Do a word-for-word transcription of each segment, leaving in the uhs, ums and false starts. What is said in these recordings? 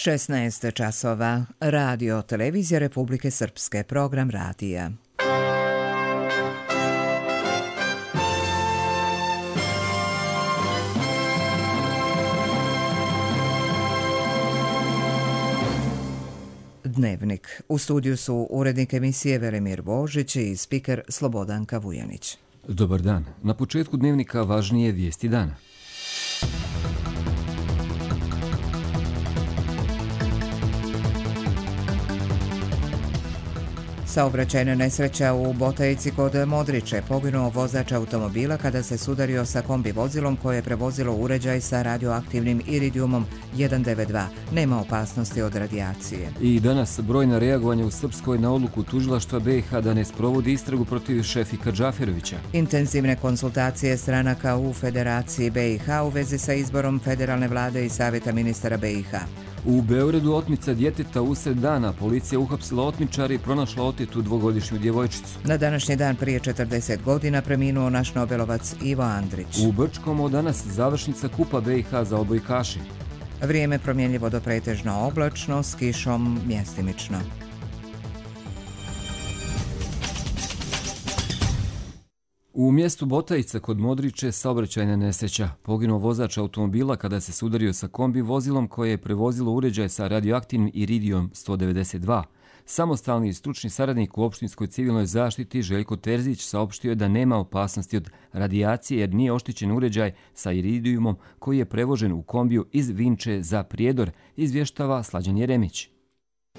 šesnaest časova. Radio Televizija Republike Srpske. Program radija. Dnevnik. U studiju su urednik emisije Velimir Božić i spiker Slobodanka Vujanić. Dobar dan. Na početku dnevnika važnije vijesti dana. Saobraćajna nesreća u Botajici kod Modriče. Poginuo vozač automobila kada se sudario sa kombi vozilom koje je prevozilo uređaj sa radioaktivnim iridijumom jedan devet dva. Nema opasnosti od radijacije. I danas brojna reagovanja u Srpskoj na odluku tužilaštva B i H da ne sprovodi istragu protiv Šefika Džaferovića. Intenzivne konsultacije stranaka u Federaciji B i H u vezi sa izborom federalne vlade i savjeta ministara B i H. U Beogradu otmica djeteta usred dana. Policija uhapsila otmičara i pronašla otetu dvogodišnju djevojčicu. Na današnji dan prije četrdeset godina preminuo naš nobelovac Ivo Andrić. U Brčkom od danas završnica Kupa B i H za odbojkaši. Vrijeme promjenljivo do pretežno oblačno, s kišom mjestimično. U mjestu Botajica kod Modriče saobraćajna nesreća. Poginuo vozač automobila kada se sudario sa kombi vozilom koje je prevozilo uređaj sa radioaktivnim iridijom sto devedeset dva. Samostalni i stručni saradnik u opštinskoj civilnoj zaštiti Željko Terzić saopštio je da nema opasnosti od radijacije jer nije oštećen uređaj sa iridijumom koji je prevožen u kombiju iz Vinče za Prijedor, izvještava Slađan Jeremić.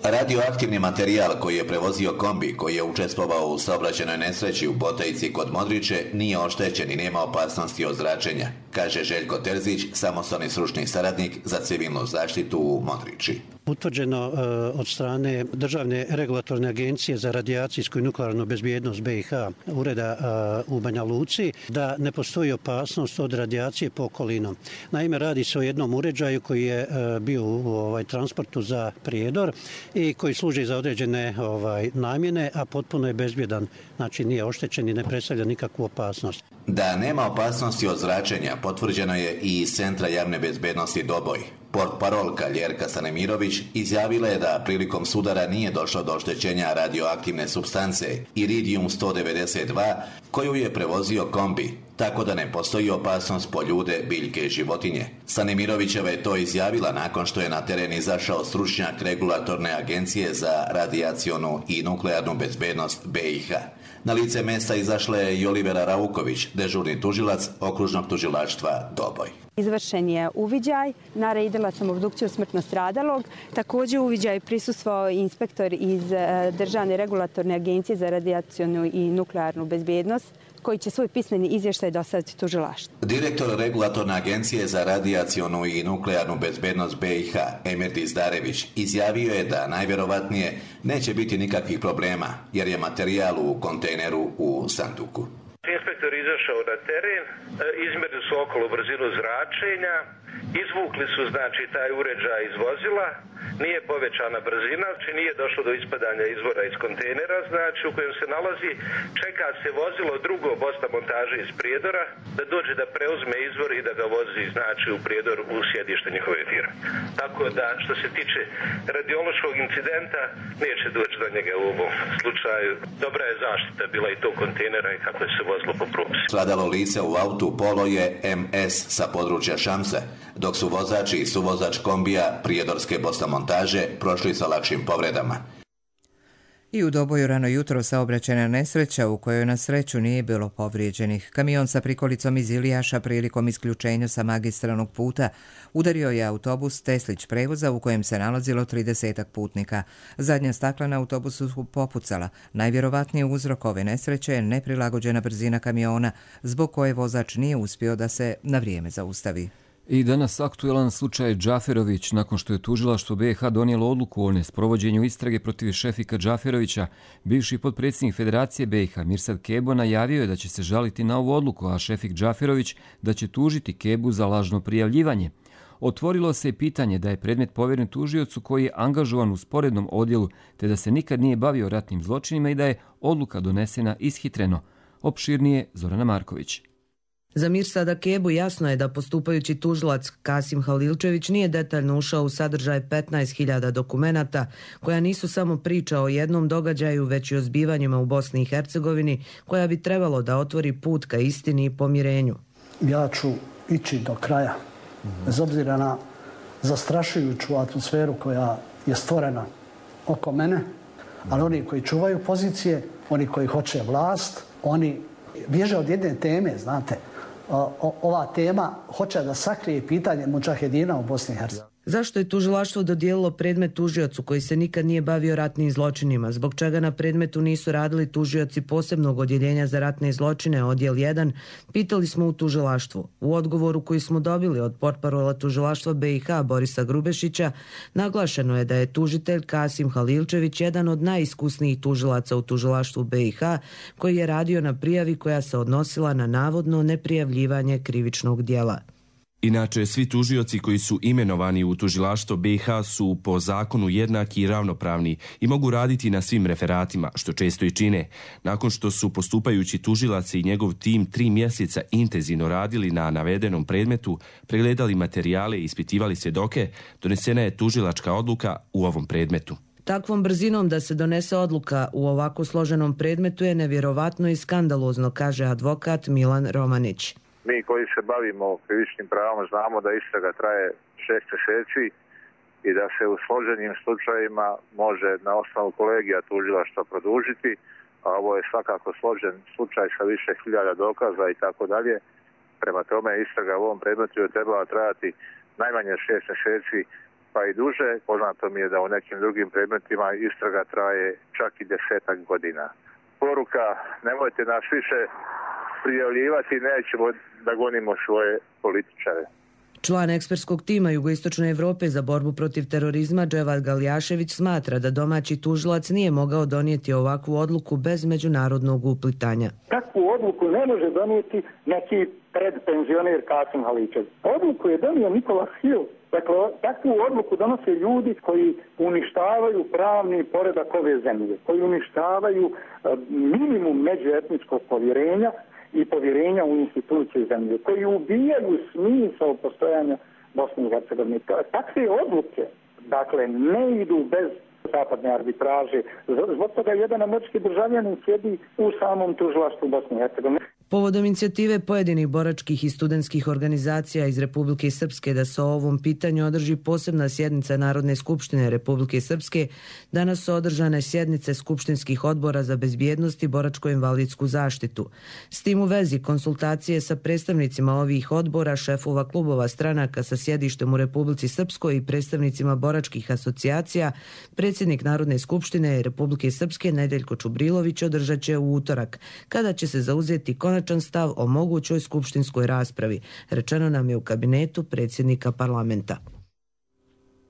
Radioaktivni materijal koji je prevozio kombi koji je učestvovao u saobraćajnoj nesreći u Botajici kod Modriče nije oštećen i nema opasnosti od zračenja, kaže Željko Terzić, samostalni stručni saradnik za civilnu zaštitu u Modriči. Utvrđeno uh, od strane Državne regulatorne agencije za radijacijsku i nuklearnu bezbjednost B i H ureda uh, u Banja Luci da ne postoji opasnost od radijacije po okolinu. Naime, radi se o jednom uređaju koji je uh, bio u ovaj, transportu za Prijedor i koji služi za određene ovaj, namjene, a potpuno je bezbjedan, znači nije oštećen i ne predstavlja nikakvu opasnost. Da nema opasnosti od zračenja potvrđeno je i iz Centra javne bezbjednosti Doboj. Portparolka Ljerka Stanimirović izjavila je da prilikom sudara nije došlo do oštećenja radioaktivne supstance iridijum sto devedeset dva koju je prevozio kombi, tako da ne postoji opasnost po ljude, biljke i životinje. Stanimirovićeva je to izjavila nakon što je na teren izašao stručnjak regulatorne agencije za radijacionu i nuklearnu bezbednost B i H. Na lice mjesta izašla je i Olivera Rauković, dežurni tužilac okružnog tužilaštva Doboj. Izvršen je uviđaj, naredila sam obdukciju smrtno stradalog. Također uviđaj prisustvovao inspektor iz Državne regulatorne agencije za radijacionu i nuklearnu bezbjednost, koji će svoj pismeni izvještaj dostaviti tužilaštvu. Direktor regulatorne agencije za radijacionu i nuklearnu bezbednost B i H, Emir Dizdarević, izjavio je da najvjerovatnije neće biti nikakvih problema, jer je materijal u kontejneru u sanduku. Inspektor izašao na teren, izmjerili su okolo brzinu zračenja, izvukli su znači taj uređaj iz vozila, nije povećana brzina, znači nije došlo do ispadanja izvora iz kontejnera, znači u kojem se nalazi, čeka se vozilo drugo Bosta montaže iz Prijedora da dođe da preuzme izvor i da ga vozi znači u Prijedor u sjedište njihove firme. Tako da što se tiče radiološkog incidenta neće doći do njega u ovom slučaju. Dobra je zaštita bila i tog kontejnera i kako je se vozilo po propisi. Stradalo lice u autu Polo je M S sa područja Šamse, dok su vozači i suvozač kombija Prijedorske Bosta montaže prošli sa lakšim povredama. I u Doboju rano jutro saobraćajna nesreća u kojoj na sreću nije bilo povrijeđenih. Kamion sa prikolicom iz Ilijaša prilikom isključenja sa magistralnog puta udario je autobus Teslić prevoza u kojem se nalazilo tridesetak putnika. Zadnja stakla na autobusu su popucala. Najvjerovatniji uzrok ove nesreće je neprilagođena brzina kamiona, zbog koje vozač nije uspio da se na vrijeme zaustavi. I danas aktuelan slučaj Džaferović, nakon što je tužilaštvo B i H donijelo odluku o nesprovođenju istrage protiv Šefika Džaferovića. Bivši potpredsjednik Federacije B i H Mirsad Kebo najavio je da će se žaliti na ovu odluku, a Šefik Džaferović da će tužiti Kebu za lažno prijavljivanje. Otvorilo se pitanje da je predmet povjeren tužiocu koji je angažovan u sporednom odjelu, te da se nikad nije bavio ratnim zločinima i da je odluka donesena ishitreno. Opširnije Zorana Marković. Za Mirsada Kebu jasno je da postupajući tužilac Kasim Halilčević nije detaljno ušao u sadržaj petnaest hiljada dokumenata koja nisu samo priča o jednom događaju, već i o zbivanjima u Bosni i Hercegovini koja bi trebalo da otvori put ka istini i pomirenju. Ja ću ići do kraja, bez obzira na zastrašujuću atmosferu koja je stvorena oko mene, ali oni koji čuvaju pozicije, oni koji hoće vlast, oni bježe od jedne teme, znate. O, ova tema hoće da sakrije pitanje mudžahedina u Bosni i Hercegovini. Zašto je tužilaštvo dodijelilo predmet tužiocu koji se nikad nije bavio ratnim zločinima? Zbog čega na predmetu nisu radili tužioci posebnog odjeljenja za ratne zločine, odjel jedan, pitali smo u tužilaštvu. U odgovoru koji smo dobili od portparola tužilaštva B i H Borisa Grubešića, naglašeno je da je tužitelj Kasim Halilčević jedan od najiskusnijih tužilaca u tužilaštvu B i H koji je radio na prijavi koja se odnosila na navodno neprijavljivanje krivičnog djela. Inače, svi tužioci koji su imenovani u tužilaštvo B i H su po zakonu jednaki i ravnopravni i mogu raditi na svim referatima, što često i čine. Nakon što su postupajući tužilac i njegov tim tri mjeseca intenzivno radili na navedenom predmetu, pregledali materijale i ispitivali svjedoke, donesena je tužilačka odluka u ovom predmetu. Takvom brzinom da se donese odluka u ovako složenom predmetu je nevjerovatno i skandalozno, kaže advokat Milan Romanić. Mi koji se bavimo krivičnim pravom znamo da istraga traje šest mjeseci i da se u složenim slučajevima može na osnovu kolegija tužilaštva produžiti, a ovo je svakako složen slučaj sa više hiljada dokaza i tako dalje. Prema tome istraga u ovom predmetu je trebala trajati najmanje šest mjeseci pa i duže. Poznato mi je da u nekim drugim predmetima istraga traje čak i desetak godina. Poruka, nemojte nas više prijavljivati, nećemo da gonimo svoje političare. Član ekspertskog tima Jugoistočne Evrope za borbu protiv terorizma Dževad Galjašević smatra da domaći tužilac nije mogao donijeti ovakvu odluku bez međunarodnog uplitanja. Takvu odluku ne može donijeti neki predpenzioner Kasim Halilčević. Odluku je donio Nikola Hill. Dakle, takvu odluku donose ljudi koji uništavaju pravni poredak ove zemlje, koji uništavaju minimum međuetničkog povjerenja i povjerenja u institucije zemlje, koji ubijaju smisao postojanja Bosne i Hercegovine. Takve odluke, dakle, ne idu bez zapadne arbitraže. Zbog toga jedan američki državljanin sjedi u samom tužilaštvu Bosne i Hercegovine. Povodom inicijative pojedinih boračkih i studentskih organizacija iz Republike Srpske da se o ovom pitanju održi posebna sjednica Narodne skupštine Republike Srpske, danas su održane sjednice skupštinskih odbora za bezbjednost i boračko-invalidsku zaštitu. S tim u vezi konsultacije sa predstavnicima ovih odbora, šefova klubova stranaka sa sjedištem u Republici Srpskoj i predstavnicima boračkih asocijacija, predsjednik Narodne skupštine Republike Srpske Nedeljko Čubrilović održat će u utorak, kada će se zauzeti konačan stav o mogućoj skupštinskoj raspravi, rečeno nam je u kabinetu predsjednika parlamenta.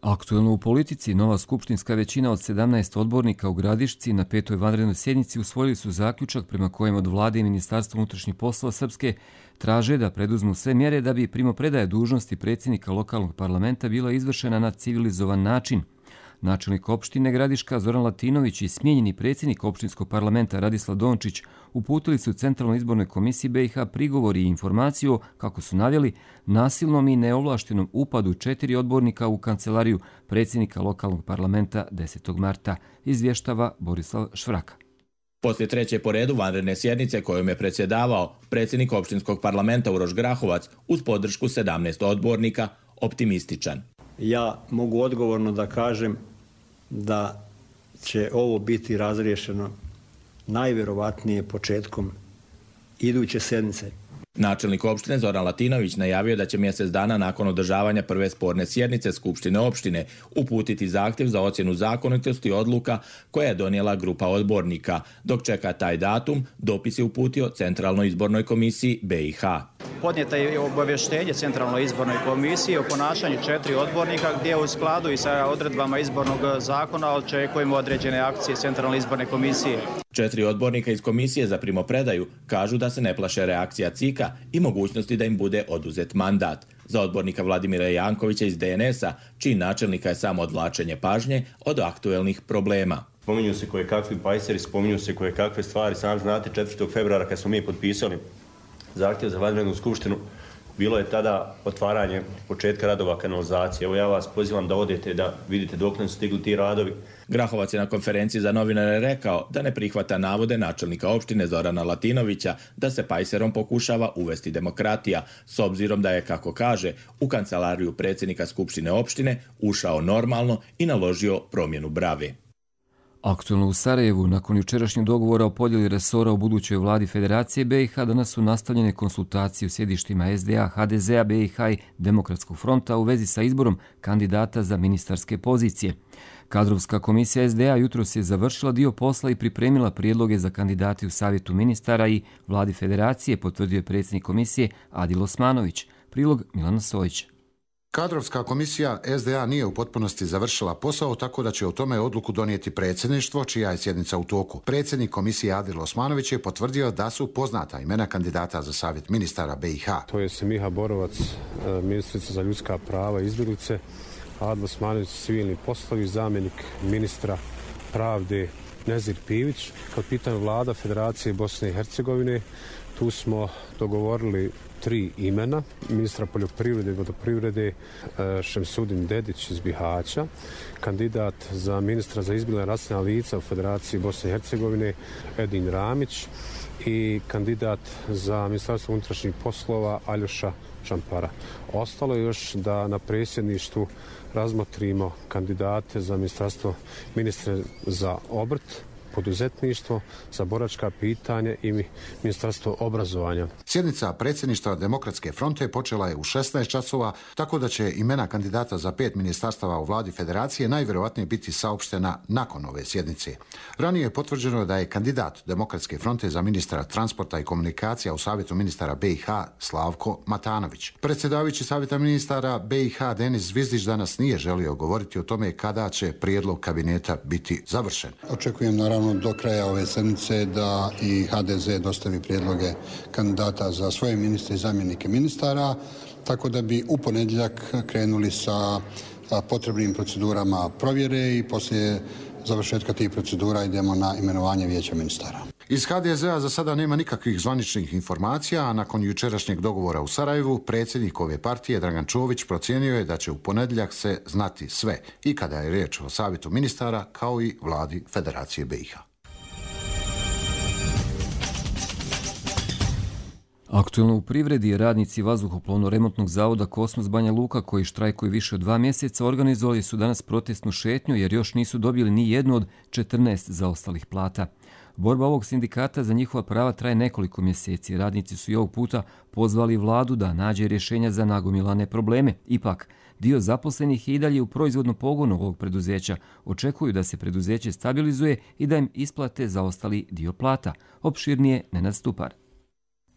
Aktuelno u politici, nova skupštinska većina od sedamnaest odbornika u Gradišci na petoj vanrednoj sjednici usvojili su zaključak prema kojem od vlade i Ministarstva unutrašnjih poslova Srpske traže da preduzmu sve mjere da bi primopredaja dužnosti predsjednika lokalnog parlamenta bila izvršena na civilizovan način. Načelnik opštine Gradiška Zoran Latinović i smijenjeni predsjednik opštinskog parlamenta Radislav Dončić uputili su u Centralnoj izbornoj komisiji B i H prigovor i informaciju o, kako su navjeli, nasilnom i neovlaštenom upadu četiri odbornika u kancelariju predsjednika lokalnog parlamenta desetog marta, izvještava Borislav Švraka. Poslije treće po redu vanredne sjednice kojom je predsjedavao predsjednik opštinskog parlamenta Uroš Grahovac uz podršku sedamnaest odbornika, optimističan. Ja mogu odgovorno da kažem da će ovo biti razriješeno najvjerovatnije početkom iduće sedmice. Načelnik opštine Zoran Latinović najavio da će mjesec dana nakon održavanja prve sporne sjednice Skupštine opštine uputiti zahtjev za ocjenu zakonitosti odluka koja je donijela grupa odbornika. Dok čeka taj datum, dopis je uputio Centralnoj izbornoj komisiji B i H. Podnijeta je obavještenje Centralnoj izbornoj komisiji o ponašanju četiri odbornika gdje u skladu i sa odredbama izbornog zakona očekujemo određene akcije Centralne izborne komisije. Četiri odbornika iz komisije za primopredaju kažu da se ne plaše reakcija C I K-a i mogućnosti da im bude oduzet mandat. Za odbornika Vladimira Jankovića iz D N S-a, čiji načelnika je samo odvlačenje pažnje od aktuelnih problema. Spominju se koje kakvi pajseri, spominju se koje kakve stvari. Sam znate, četvrtog februara kad smo mi potpisali zahtjev za vanrednu skupštinu, bilo je tada otvaranje početka radova kanalizacije. Evo ja vas pozivam da odete da vidite dok su stigli ti radovi. Grahovac je na konferenciji za novinare rekao da ne prihvata navode načelnika opštine Zorana Latinovića da se pajserom pokušava uvesti demokratija, s obzirom da je, kako kaže, u kancelariju predsjednika Skupštine opštine ušao normalno i naložio promjenu brave. Aktualno u Sarajevu, nakon jučerašnjeg dogovora o podjeli resora u budućoj vladi Federacije B i H, danas su nastavljene konsultacije u sjedištima S D A, H D Z A, B i H i Demokratskog fronta u vezi sa izborom kandidata za ministarske pozicije. Kadrovska komisija S D A jutros je završila dio posla i pripremila prijedloge za kandidate u Savjetu ministara i vladi Federacije, potvrdio je predsjednik komisije Adil Osmanović. Prilog Milana Sojić. Kadrovska komisija S D A nije u potpunosti završila posao, tako da će o tome odluku donijeti predsjedništvo, čija je sjednica u toku. Predsjednik komisije Adil Osmanović je potvrdio da su poznata imena kandidata za savjet ministara B i H. To je Semiha Borovac, ministrica za ljudska prava i izbjeglice, Adil Osmanović, civilni poslovi, zamjenik ministra pravde Nezir Pivić. Kad pitanju vlada Federacije Bosne i Hercegovine, tu smo dogovorili tri imena, ministra poljoprivrede i vodoprivrede Šemsudin Dedić iz Bihaća, kandidat za ministra za izbjeglice raseljena lica u Federaciji Bosne i Hercegovine Edin Ramić i kandidat za ministarstvo unutrašnjih poslova Aljoša Čampara. Ostalo je još da na predsjedništvu razmotrimo kandidate za ministarstvo ministre za obrt, poduzetništvo, za boračka pitanja i ministarstvo obrazovanja. Sjednica predsjedništva Demokratske fronte počela je u šesnaest časova, tako da će imena kandidata za pet ministarstava u vladi Federacije najvjerojatnije biti saopštena nakon ove sjednice. Ranije je potvrđeno da je kandidat Demokratske fronte za ministra transporta i komunikacija u Savjetu ministara B i H Slavko Matanović. Predsjedavajući Savjeta ministara B i H Denis Zvizdić danas nije želio govoriti o tome kada će prijedlog kabineta biti završen. Očekujem naravno do kraja ove sedmice da i H D Z dostavi prijedloge kandidata za svoje ministre i zamjenike ministara, tako da bi u ponedjeljak krenuli sa potrebnim procedurama provjere i poslije završetka tih procedura idemo na imenovanje vijeća ministara. Iz H D Z A za sada nema nikakvih zvaničnih informacija, a nakon jučerašnjeg dogovora u Sarajevu, predsjednik ove partije Dragan Čović procijenio je da će u ponedjeljak se znati sve, i kada je riječ o savjetu ministara, kao i vladi Federacije B i H. Aktualno u privredi, radnici vazduhoplovno-remontnog zavoda Kosmos Banja Luka, koji štrajkuju više od dva mjeseca, organizovali su danas protestnu šetnju jer još nisu dobili ni jednu od četrnaest zaostalih plata. Borba ovog sindikata za njihova prava traje nekoliko mjeseci. Radnici su i ovog puta pozvali vladu da nađe rješenja za nagomilane probleme. Ipak, dio zaposlenih je i dalje u proizvodnom pogonu ovog preduzeća. Očekuju da se preduzeće stabilizuje i da im isplate zaostali dio plata. Opširnije Nenad Stupar.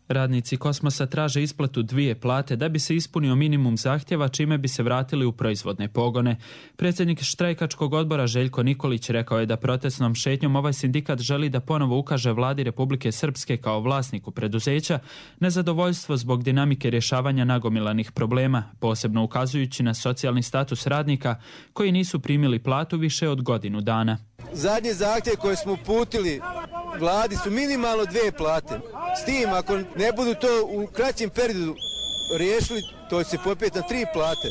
Radnici Kosmosa traže isplatu dvije plate da bi se ispunio minimum zahtjeva, čime bi se vratili u proizvodne pogone. Predsjednik štrajkačkog odbora Željko Nikolić rekao je da protestnom šetnjom ovaj sindikat želi da ponovo ukaže vladi Republike Srpske kao vlasniku preduzeća nezadovoljstvo zbog dinamike rješavanja nagomilanih problema, posebno ukazujući na socijalni status radnika koji nisu primili platu više od godinu dana. Zadnje zahtjeve koje smo uputili vladi su minimalno dvije plate. S tim, ako ne budu to u kraćem periodu riješili, to će se popeti na tri plate.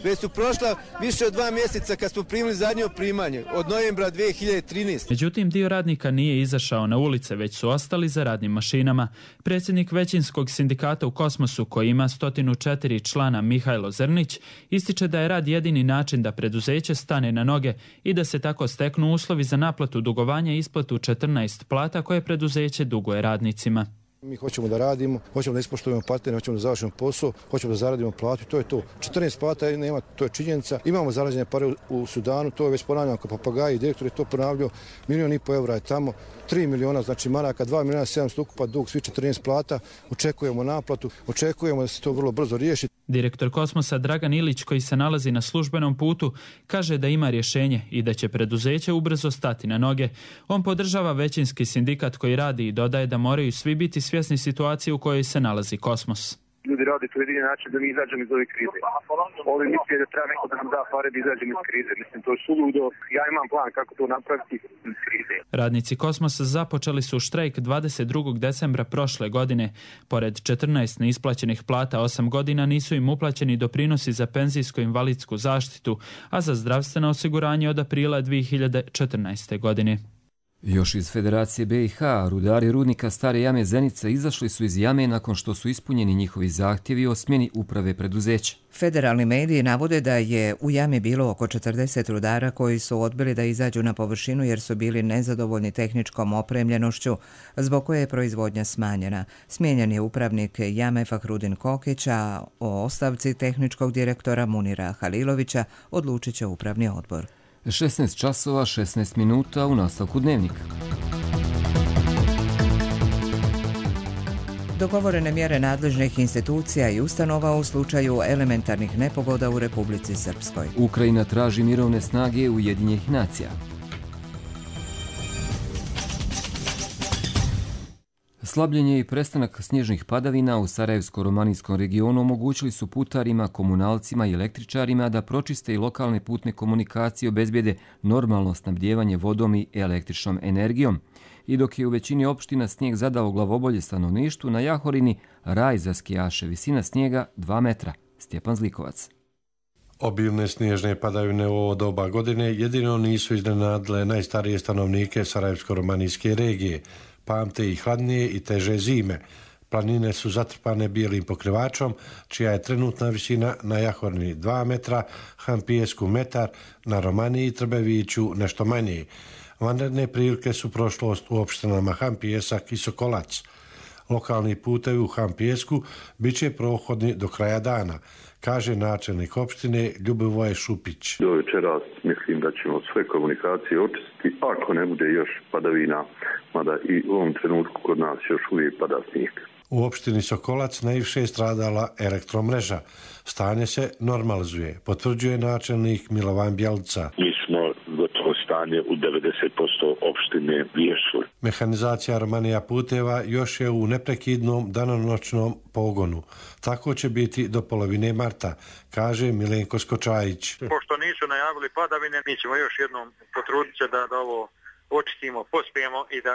Već su prošla više od dva mjeseca kad smo primili zadnje primanje, od novembra dvije hiljade trinaeste. Međutim, dio radnika nije izašao na ulice, već su ostali za radnim mašinama. Predsjednik većinskog sindikata u Kosmosu, koji ima sto četiri člana, Mihajlo Zrnić, ističe da je rad jedini način da preduzeće stane na noge i da se tako steknu uslovi za naplatu dugovanja i isplatu četrnaest plata koje preduzeće duguje radnicima. Mi hoćemo da radimo, hoćemo da ispoštujemo partnere, hoćemo da završimo posao, hoćemo da zaradimo platu, to je to. četrnaest plata nema, to je činjenica. Imamo zarađene pare u Sudanu, to je već ponavljamo kao papagaji, direktor je to ponavljao, milijon i po evra je tamo, tri miliona, znači maraka, dva miliona sedamsto ukupa dug, svi četrnaest plata, očekujemo naplatu, očekujemo da se to vrlo brzo riješi. Direktor Kosmosa Dragan Ilić, koji se nalazi na službenom putu, kaže da ima rješenje i da će preduzeće ubrzo stati na noge. On podržava većinski sindikat koji radi i dodaje da moraju svi biti svjesni situacije u kojoj se nalazi Kosmos. ljudi rade to jedini način da mi izađemo iz ove krize. Ovi misle da treba neko da nam da pare da izađemo iz krize. Mislim, to je suludo. Ja imam plan kako to napraviti iz krize. Radnici Kosmosa započeli su štrajk dvadeset drugog decembra prošle godine. Pored četrnaest neisplaćenih plata osam godina nisu im uplaćeni doprinosi za penzijsko-invalidsku zaštitu, a za zdravstveno osiguranje od aprila dvije hiljade četrnaeste. godine. Još iz Federacije B i H, rudari rudnika Stare jame Zenica izašli su iz jame nakon što su ispunjeni njihovi zahtjevi o smjeni uprave preduzeća. Federalni mediji navode da je u jami bilo oko četrdeset rudara koji su odbili da izađu na površinu jer su bili nezadovoljni tehničkom opremljenošću, zbog koje je proizvodnja smanjena. Smijenjen je upravnik jame Fahrudin Kokić, a o ostavci tehničkog direktora Munira Halilovića odlučit će upravni odbor. šesnaest časova šesnaest minuta u nastavku dnevnika. Dogovorene mjere nadležnih institucija i ustanova u slučaju elementarnih nepogoda u Republici Srpskoj. Ukrajina traži mirovne snage Ujedinjenih nacija. Slabljenje i prestanak snježnih padavina u Sarajevsko-romanijskom regionu omogućili su putarima, komunalcima i električarima da pročiste i lokalne putne komunikacije, obezbijede normalno snabdijevanje vodom i električnom energijom. I dok je u većini opština snijeg zadao glavobolje stanovništvu, na Jahorini raj za skijaše, visina snijega dva metra. Stjepan Zlikovac. Obilne snježne padavine u ovo doba godine jedino nisu iznenadile najstarije stanovnike Sarajevsko-romanijske regije. Pamte i hladnije i teže zime. Planine su zatrpane bijelim pokrivačom, čija je trenutna visina na Jahorini dva metra, Hampijesku metar, na Romaniji i Trbeviću nešto manje. Vanredne prilike su prošlost u opštinama Hampijesak i Sokolac. Lokalni putevi u Hampijesku bit će prohodni do kraja dana, kaže načelnik opštine Ljubivoje Šupić. Do večeras mislim da ćemo sve komunikacije očistiti, ako ne bude još padavina, mada i u ovom trenutku kod nas još uvijek pada snijeg. U opštini Sokolac najviše je stradala elektromreža. Stanje se normalizuje, potvrđuje načelnik Milovan Bjelica. Mi smo gotovo stanje u devedeset posto opštine riješili. Mehanizacija Romanija puteva još je u neprekidnom danonoćnom pogonu. Tako će biti do polovine marta, kaže Milenko Skočajić. Pošto nisu najavili padavine, mi ćemo još jednom potruditi se da, da ovo očistimo, pospijemo i da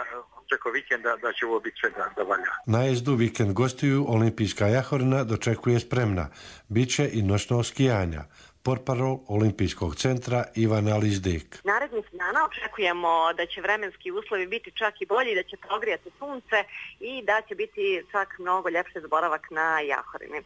preko vikenda da će ovo biti sve da, da valja. Najezdu vikend gostiju Olimpijska Jahorina dočekuje spremna. Biće i noćno skijanja. Portparol Olimpijskog centra Ivana Lizdek. Narednih dana očekujemo da će vremenski uslovi biti čak i bolji, da će progrijati sunce i da će biti čak mnogo ljepši boravak na Jahorini.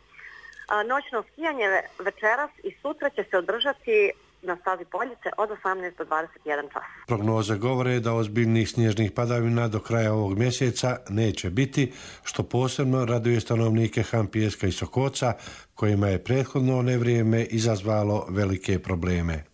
Noćno skijanje večeras i sutra će se održati na stazi Poljice od osamnaest do dvadeset jedan čas. Prognoze govore da ozbiljnih snježnih padavina do kraja ovog mjeseca neće biti, što posebno raduje stanovnike Hampijeska i Sokoca, kojima je prethodno nevrijeme izazvalo velike probleme.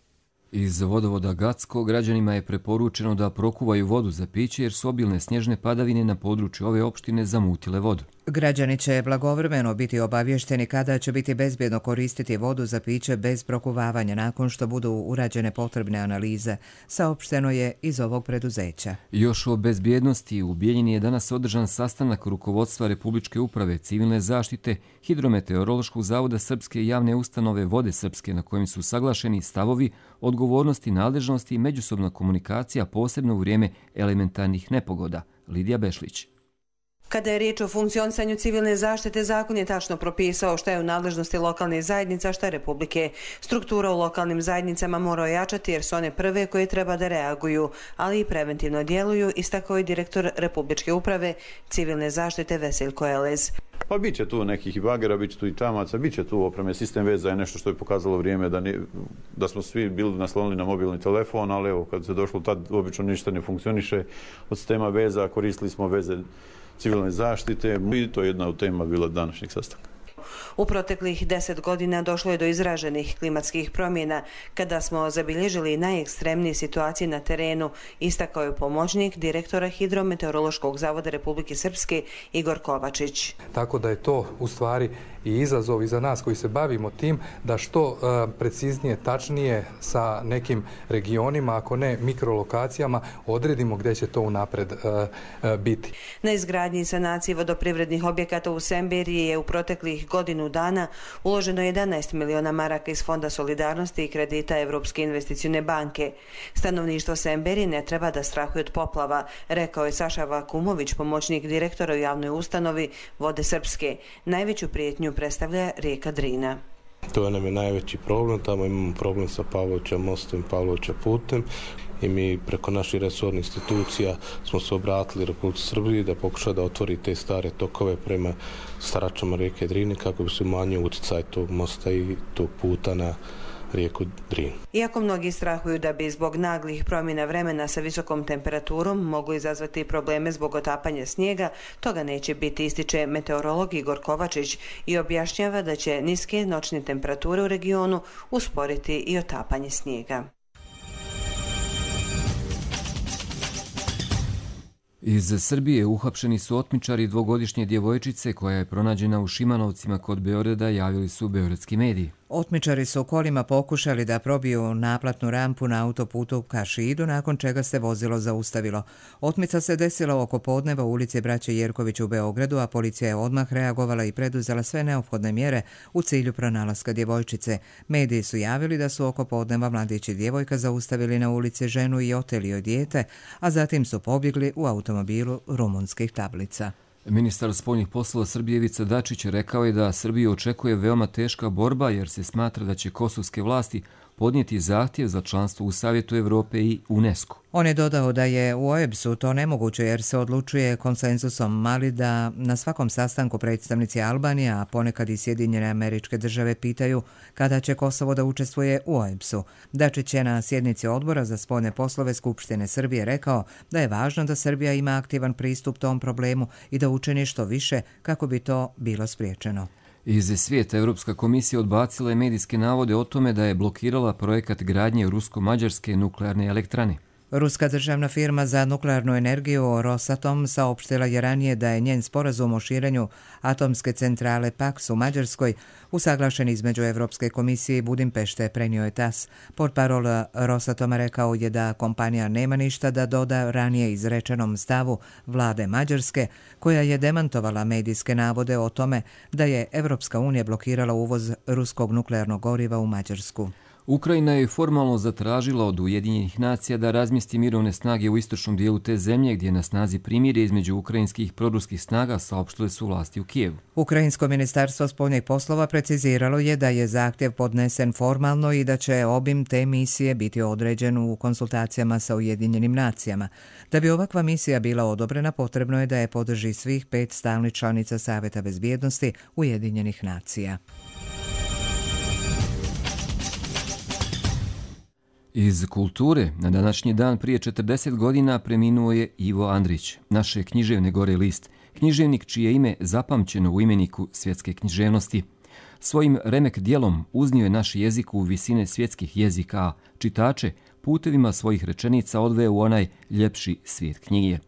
Iz vodovoda Gacko građanima je preporučeno da prokuvaju vodu za piće jer su obilne snježne padavine na području ove opštine zamutile vodu. Građani će blagovremeno biti obavješteni kada će biti bezbjedno koristiti vodu za piće bez prokuvavanja nakon što budu urađene potrebne analize, saopšteno je iz ovog preduzeća. Još o bezbjednosti u Bijeljini je danas održan sastanak rukovodstva Republičke uprave civilne zaštite, Hidrometeorološkog zavoda Srpske i javne ustanove Vode Srpske, na kojim su saglašeni stavovi, odgovornosti, nadležnosti i međusobna komunikacija, posebno u vrijeme elementarnih nepogoda. Lidija Bešlić. Kada je riječ o funkcionisanju civilne zaštite, zakon je tačno propisao šta je u nadležnosti lokalnih zajednica, šta Republike. Struktura u lokalnim zajednicama mora ojačati jer su one prve koje treba da reaguju, ali i preventivno djeluju, istakao je direktor Republičke uprave civilne zaštite Veseljko Elez. Pa bit će tu nekih i bagera, bit će tu i čamaca, bit će tu opreme. Sistem veza je nešto što je pokazalo vrijeme da, ne, da smo svi bili naslonili na mobilni telefon, ali evo, kad se došlo tad, obično ništa ne funkcioniše. Od sistema veza koristili smo veze civilne zaštite i to je jedna od tema bila današnjeg sastanka. U proteklih deset godina došlo je do izraženih klimatskih promjena kada smo zabilježili najekstremnije situacije na terenu, istakao je pomoćnik direktora Hidrometeorološkog zavoda Republike Srpske Igor Kovačić. Tako da je to u stvari i izazov i za nas koji se bavimo tim da što preciznije, tačnije sa nekim regionima, ako ne mikrolokacijama, odredimo gdje će to unapred biti. Na izgradnji i sanaciji vodoprivrednih objekata u Semberiji je u proteklih godinu dana uloženo jedanaest miliona maraka iz Fonda solidarnosti i kredita Evropske investicione banke. Stanovništvo Semberije ne treba da strahuje od poplava, rekao je Saša Vakumović, pomoćnik direktora u javnoj ustanovi Vode Srpske. Najveću prijetnju predstavlja rijeka Drina. To nam je najveći problem, tamo imamo problem sa Pavlovića mostom i Pavlovića putem i mi preko naših resornih institucija smo se obratili Republici Srbiji da pokuša da otvori te stare tokove prema staračama rijeke Drine kako bi se umanjio utjecaj tog mosta i tog puta na rijeku Drinu. Iako mnogi strahuju da bi zbog naglih promjena vremena sa visokom temperaturom mogli izazvati probleme zbog otapanja snijega, toga neće biti, ističe meteorolog Igor Kovačić i objašnjava da će niske noćne temperature u regionu usporiti i otapanje snijega. Iz Srbije uhapšeni su otmičari dvogodišnje djevojčice koja je pronađena u Šimanovcima kod Beograda, javili su beogradski mediji. Otmičari su kolima pokušali da probiju naplatnu rampu na autoputu ka Šidu, nakon čega se vozilo zaustavilo. Otmica se desila oko podneva u ulici Braće Jerković u Beogradu, a policija je odmah reagovala i preduzela sve neophodne mjere u cilju pronalaska djevojčice. Mediji su javili da su oko podneva mladić i djevojka zaustavili na ulici ženu i oteli joj dijete, a zatim su pobjegli u automobilu rumunskih tablica. Ministar spoljnih poslova Srbije Ivica Dačić rekao je da Srbiju očekuje veoma teška borba jer se smatra da će kosovske vlasti podnijeti zahtjev za članstvo u Savjetu Evrope i UNESCO. On je dodao da je u O E B S-u to nemoguće jer se odlučuje konsenzusom, mali da na svakom sastanku predstavnici Albanije, a ponekad i Sjedinjene Američke Države pitaju kada će Kosovo da učestvuje u O E B S-u. Dačić je na sjednici odbora za spoljne poslove Skupštine Srbije rekao da je važno da Srbija ima aktivan pristup tom problemu i da učini što više kako bi to bilo spriječeno. Iz svijeta Evropska komisija odbacila je medijske navode o tome da je blokirala projekat gradnje rusko-mađarske nuklearne elektrane. Ruska državna firma za nuklearnu energiju Rosatom saopštila je ranije da je njen sporazum o širenju atomske centrale Paks u Mađarskoj usaglašen između Evropske komisije i Budimpešte, prenio je tas. Portparol Rosatoma rekao je da kompanija nema ništa da doda ranije izrečenom stavu vlade Mađarske, koja je demantovala medijske navode o tome da je Evropska unija blokirala uvoz ruskog nuklearnog goriva u Mađarsku. Ukrajina je formalno zatražila od Ujedinjenih nacija da razmjesti mirovne snage u istočnom dijelu te zemlje gdje je na snazi primirje između ukrajinskih proruskih snaga, saopštile su vlasti u Kijevu. Ukrajinsko ministarstvo spoljnih poslova preciziralo je da je zahtjev podnesen formalno i da će obim te misije biti određen u konsultacijama sa Ujedinjenim nacijama. Da bi ovakva misija bila odobrena, potrebno je da je podrži svih pet stalnih članica Saveta bezbjednosti Ujedinjenih nacija. Iz kulture, na današnji dan prije četrdeset godina preminuo je Ivo Andrić, naše književne gore list, književnik čije ime zapamćeno u imeniku svjetske književnosti. Svojim remek djelom uznio je naš jezik u visine svjetskih jezika, a čitače putevima svojih rečenica odveo u onaj ljepši svijet knjige.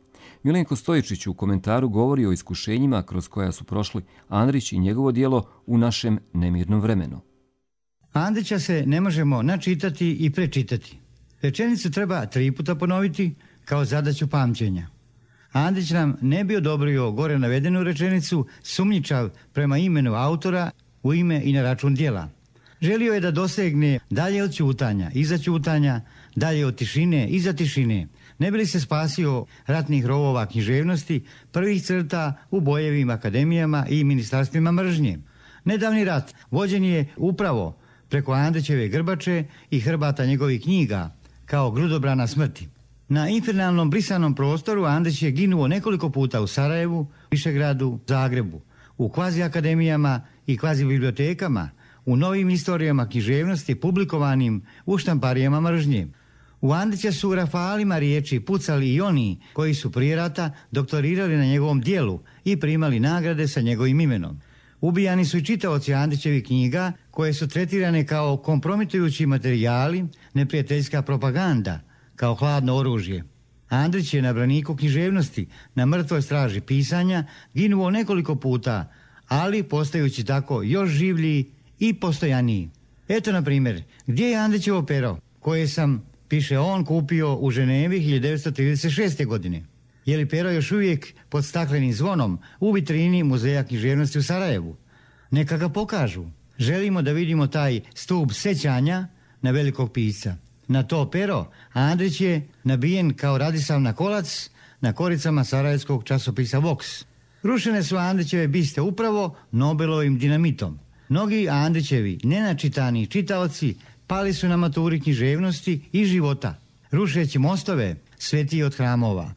Milenko Stojičić u komentaru govori o iskušenjima kroz koja su prošli Andrić i njegovo djelo u našem nemirnom vremenu. Andrića se ne možemo načitati i prečitati. Rečenicu treba tri puta ponoviti kao zadaću pamćenja. Andrić nam ne bi odobrio gore navedenu rečenicu sumnjičav prema imenu autora u ime i na račun djela. Želio je da dosegne dalje od ćutanja, iza ćutanja, dalje od tišine, iza tišine. Ne bi li se spasio ratnih rovova književnosti, prvih crta u bojevim akademijama i ministarstvima mržnje. Nedavni rat vođen je upravo preko Andrićeve grbače i hrbata njegovih knjiga, kao grudobrana smrti. Na infernalnom brisanom prostoru Andrić je ginuo nekoliko puta u Sarajevu, Višegradu, Zagrebu, u kvazi akademijama i kvazi bibliotekama, u novim istorijama književnosti publikovanim u štamparijama mržnje. U Andrića su rafalima riječi pucali i oni koji su prije rata doktorirali na njegovom dijelu i primali nagrade sa njegovim imenom. Ubijani su i čitaoci Andrićevih knjiga koje su tretirane kao kompromitujući materijali, neprijateljska propaganda, kao hladno oružje. Andrić je na braniku književnosti, na mrtvoj straži pisanja, ginuo nekoliko puta, ali postajući tako još življi i postojaniji. Eto, na primjer, gdje je Andrićevo pero, koje sam, piše on, kupio u Ženevi hiljadu devetsto trideset šeste. godine? Je li pero još uvijek pod staklenim zvonom u vitrini Muzeja književnosti u Sarajevu? Neka ga pokažu. Želimo da vidimo taj stup sećanja na velikog pisca. Na to pero Andrić je nabijen kao radisav kolac na koricama sarajevskog časopisa Vox. Rušene su Andrićeve biste upravo Nobelovim dinamitom. Mnogi Andrićevi nenačitani čitaoci pali su na maturi književnosti i života, rušeći mostove svetiji od hramova.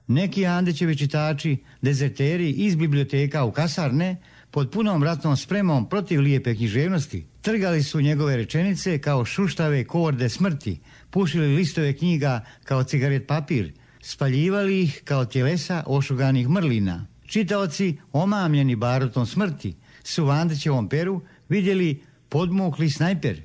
Neki Andrićevi čitači, dezerteri iz biblioteka u kasarne, pod punom ratnom spremom protiv lijepe književnosti, trgali su njegove rečenice kao šuštave korde smrti, pušili listove knjiga kao cigaret papir, spaljivali ih kao tjelesa ošuganih mrlina. Čitaoci, omamljeni barutom smrti, su u Andrićevom peru vidjeli podmukli snajper,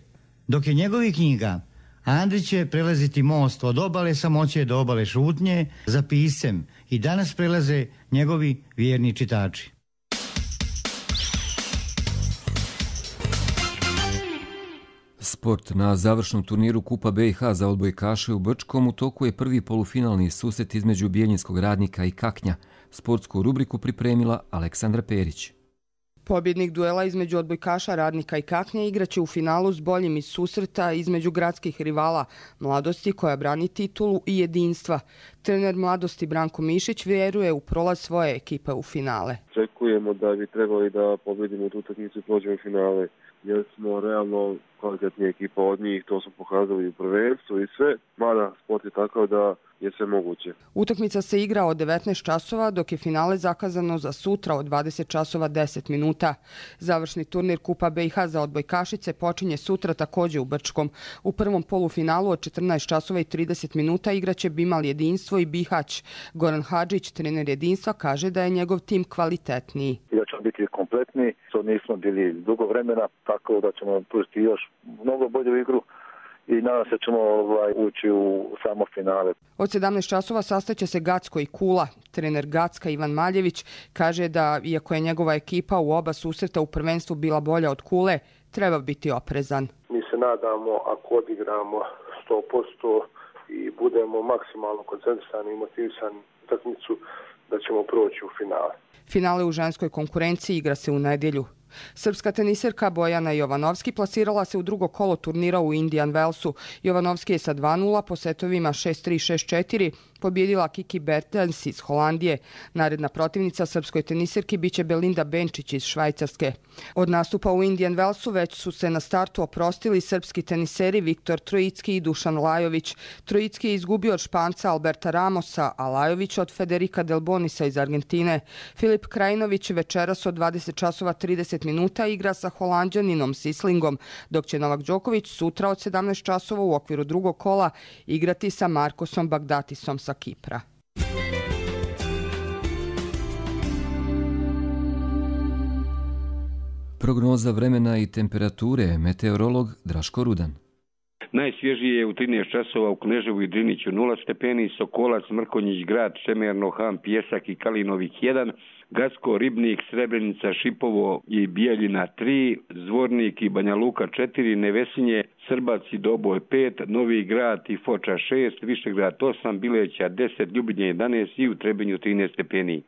dok je njegovih knjiga Andrić će prelaziti most od obale samoće do obale šutnje za piscem i danas prelaze njegovi vjerni čitači. Sport. Na završnom turniru Kupa B i H za odbojkaše u Brčkom u toku je prvi polufinalni susret između Bijeljinskog Radnika i Kaknja. Sportsku rubriku pripremila Aleksandra Perić. Pobjednik duela između odbojkaša Radnika i Kaknja igraće u finalu s boljim iz susreta između gradskih rivala Mladosti koja brani titulu i jedinstva. Trener Mladosti Branko Mišić vjeruje u prolaz svoje ekipe u finale. Očekujemo da bi trebali da pobjedimo tu utakmicu i prođemo u finale, jer smo realno kvalitetnija ekipa od njih, to smo pokazali u prvenstvu i sve, mada sport je takav da je sve moguće. Utakmica se igra od devetnaest časova, dok je finale zakazano za sutra od dvadeset časova deset minuta. Završni turnir Kupa B i H za odbojkašice počinje sutra također u Brčkom. U prvom polufinalu od četrnaest časova i trideset minuta igraće Bimal Jedinstvo i Bihać. Goran Hadžić, trener Jedinstva, kaže da je njegov tim kvalitetniji. Da ćemo biti kompletni, što nismo bili dugo vremena, tako da ćemo pružiti još mnogo bolju igru i nadam se ćemo ovaj, ući u samo finale. Od sedamnaest časova sastaće se Gacko i Kula. Trener Gacka Ivan Maljević kaže da, iako je njegova ekipa u oba susreta u prvenstvu bila bolja od Kule, treba biti oprezan. Mi se nadamo, ako odigramo sto posto i budemo maksimalno koncentrisani i motivisani utakmicu, da ćemo proći u finale. Finale u ženskoj konkurenciji igra se u nedjelju. Srpska teniserka Bojana Jovanovski plasirala se u drugo kolo turnira u Indian Wellsu. Jovanovski je sa dva nula po setovima šest tri šest četiri pobjedila Kiki Bertens iz Holandije. Naredna protivnica srpskoj teniserki biće Belinda Benčić iz Švajcarske. Od nastupa u Indian Wellsu već su se na startu oprostili srpski teniseri Viktor Trojicki i Dušan Lajović. Trojicki je izgubio od Španca Alberta Ramosa, a Lajović od Federica Delbonisa iz Argentine. Filip Krajinović večeras od dvadeset časova trideset minuta igra sa Holanđaninom Sislingom, dok će Novak Đoković sutra od sedamnaest časova u okviru drugog kola igrati sa Markosom Bagdatisom sa Kipra. Prognoza vremena i temperature, meteorolog Draško Rudan. Najsvježije je u trinaest časova u Kneževu i Driniću nula stepeni, Sokolac, Mrkonjić, Grad, Šemerno, Han, Pjesak i Kalinovik jedan, Gacko, Ribnik, Srebrenica, Šipovo i Bijeljina tri, Zvornik i Banja Luka četiri, Nevesinje, Srbac i Doboj pet, Novi Grad i Foča šest, Višegrad osam, Bileća deset, Ljubinje jedanaest i u Trebinju trinaest stepeni.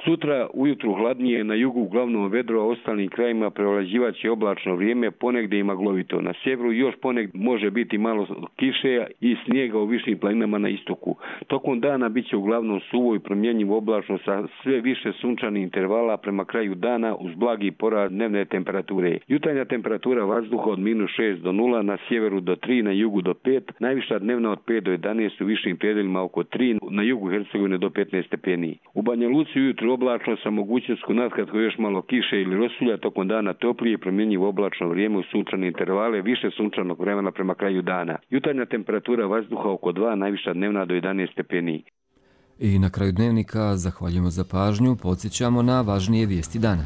Sutra ujutru hladnije, na jugu uglavnom vedro, a ostalim krajima prevlađivaće oblačno vrijeme, ponegdje i maglovito. Na sjeveru još ponegdje može biti malo kiše i snijega u višim planinama na istoku. Tokom dana bit će uglavnom suvo i promjenjivo oblačno sa sve više sunčanih intervala prema kraju dana uz blagi porast dnevne temperature. Jutarnja temperatura vazduha od minus šest do nula, na sjeveru do tri, na jugu do pet, najviša dnevna od pet do jedanaest, u višim predeljima oko tri, na jugu Hercegovine do petnaest stepeni. U Banja Luci ujutro oblačno sa mogućnošću natkratko još malo kiše ili rosulja, tokom dana toplije, promjenjivo oblačno vrijeme u sunčane intervale, više sunčanog vremena prema kraju dana. Jutarnja temperatura vazduha oko dva, najviša dnevna do jedanaest stepeni. I na kraju dnevnika zahvaljujemo za pažnju, podsjećamo na važnije vijesti dana.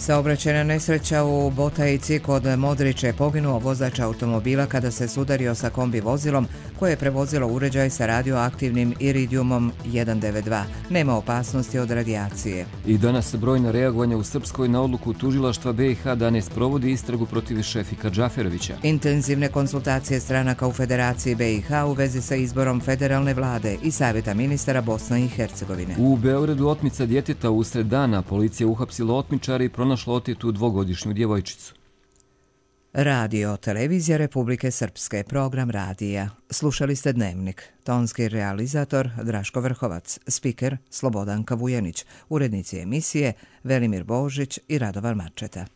Saobraćajna nesreća u Botajici kod Modriče, poginuo vozač automobila kada se sudario sa kombi vozilom koje je prevozilo uređaj sa radioaktivnim iridijumom jedan devet dva. Nema opasnosti od radijacije. I danas brojna reagovanja u Srpskoj na odluku tužilaštva B i H da ne sprovodi istragu protiv Šefika Džaferovića. Intenzivne konsultacije stranaka u Federaciji B i H u vezi sa izborom federalne vlade i savjeta ministara Bosne i Hercegovine. U Beogradu otmica djeteta usred dana. Policija uhapsila otmičara i pronašla otetu dvogodišnju djevojčicu. Radio, televizija Republike Srpske, program radija. Slušali ste Dnevnik. Tonski realizator Draško Vrhovac, spiker Slobodanka Vujenić, urednici emisije Velimir Božić i Radovan Mačeta.